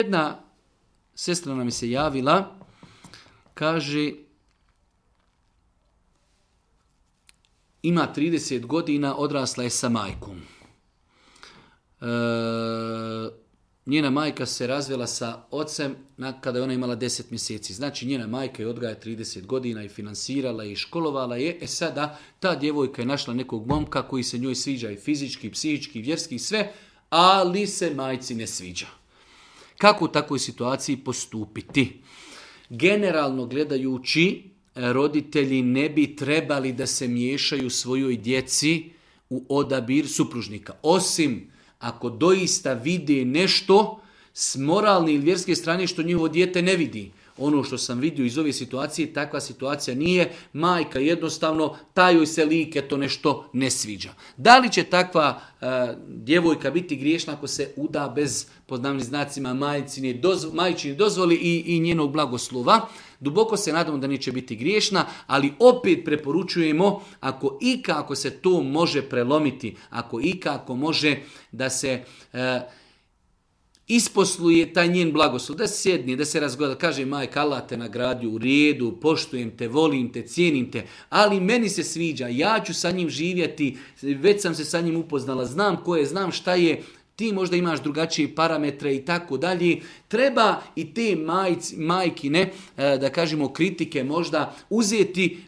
Jedna sestra nam se javila, kaže, ima 30 godina, odrasla je sa majkom. Njena majka se razvela sa ocem kada je ona imala 10 mjeseci. Znači njena majka je odgaja 30 godina i finansirala i školovala je. Sada ta djevojka je našla nekog momka koji se njoj sviđa i fizički, psihički, vjerski, sve, ali se majci ne sviđa. Kako u takvoj situaciji postupiti? Generalno gledajući, roditelji ne bi trebali da se miješaju svojoj djeci u odabir supružnika. Osim ako doista vide nešto s moralne ili vjerske strane što njihovo dijete ne vidi. Ono što sam vidio iz ove situacije, takva situacija nije. Majka jednostavno, tajoj se lik, to nešto ne sviđa. Da li će takva djevojka biti griješna ako se uda bez, pod navodnim znacima, majčine dozvoli i njenog blagoslova? Duboko se nadamo da neće biti griješna, ali opet preporučujemo ako se to može prelomiti, ako može da se isposluje taj njen blagoslov, da se sjedni, da se razgleda, kaže majka, Allah te nagradio, u redu, poštujem te, volim te, cijenim te, ali meni se sviđa, ja ću sa njim živjeti, već sam se sa njim upoznala, znam ko je, znam šta je, ti možda imaš drugačije parametre i tako dalje. Treba i te majkine, da kažemo, kritike možda uzeti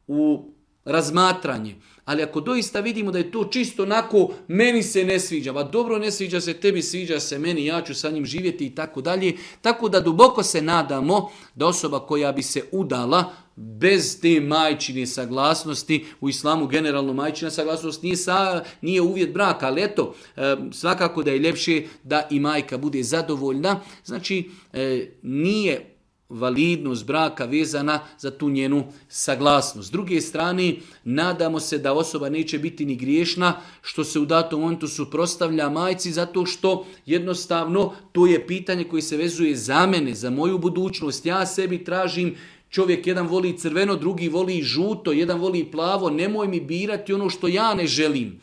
u razmatranje. Ali ako doista vidimo da je to čisto onako, meni se ne sviđa, ba dobro, ne sviđa se tebi, sviđa se meni, ja ću sa njim živjeti i tako dalje. Tako da duboko se nadamo da osoba koja bi se udala bez te majčine saglasnosti, u islamu generalno majčina saglasnost nije uvjet braka, ali eto, svakako da je ljepše da i majka bude zadovoljna. Znači, nije validnost braka vezana za tu njenu saglasnost. S druge strane, nadamo se da osoba neće biti ni griješna što se u datom momentu suprotstavlja majci, zato što jednostavno to je pitanje koje se vezuje za mene, za moju budućnost. Ja sebi tražim, čovjek jedan voli crveno, drugi voli žuto, jedan voli plavo, nemoj mi birati ono što ja ne želim.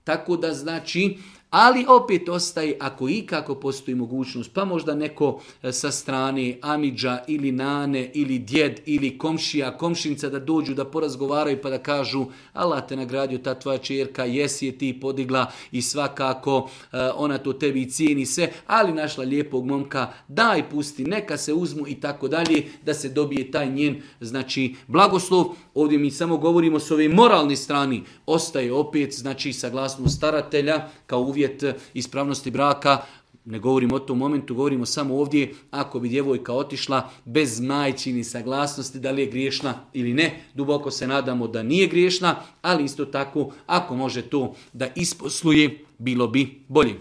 Tako da znači, ali opet ostaje, ako ikako postoji mogućnost, pa možda neko sa strane amidža ili nane ili djed ili komšija, komšinca da dođu da porazgovaraju pa da kažu Allah te nagradio, ta tvoja čerka, jesi je ti podigla i svakako ona to tebi cijeni sve, ali našla lijepog momka, daj pusti, neka se uzmu i tako dalje, da se dobije taj njen, znači, blagoslov. Ovdje mi samo govorimo s ove moralne strane, ostaje opet, znači, saglasnost staratelja kao uvjet ispravnosti braka. Ne govorimo o tom momentu, govorimo samo ovdje ako bi djevojka otišla bez majčini saglasnosti, da li je griješna ili ne. Duboko se nadamo da nije griješna, ali isto tako ako može to da isposluje, bilo bi bolje.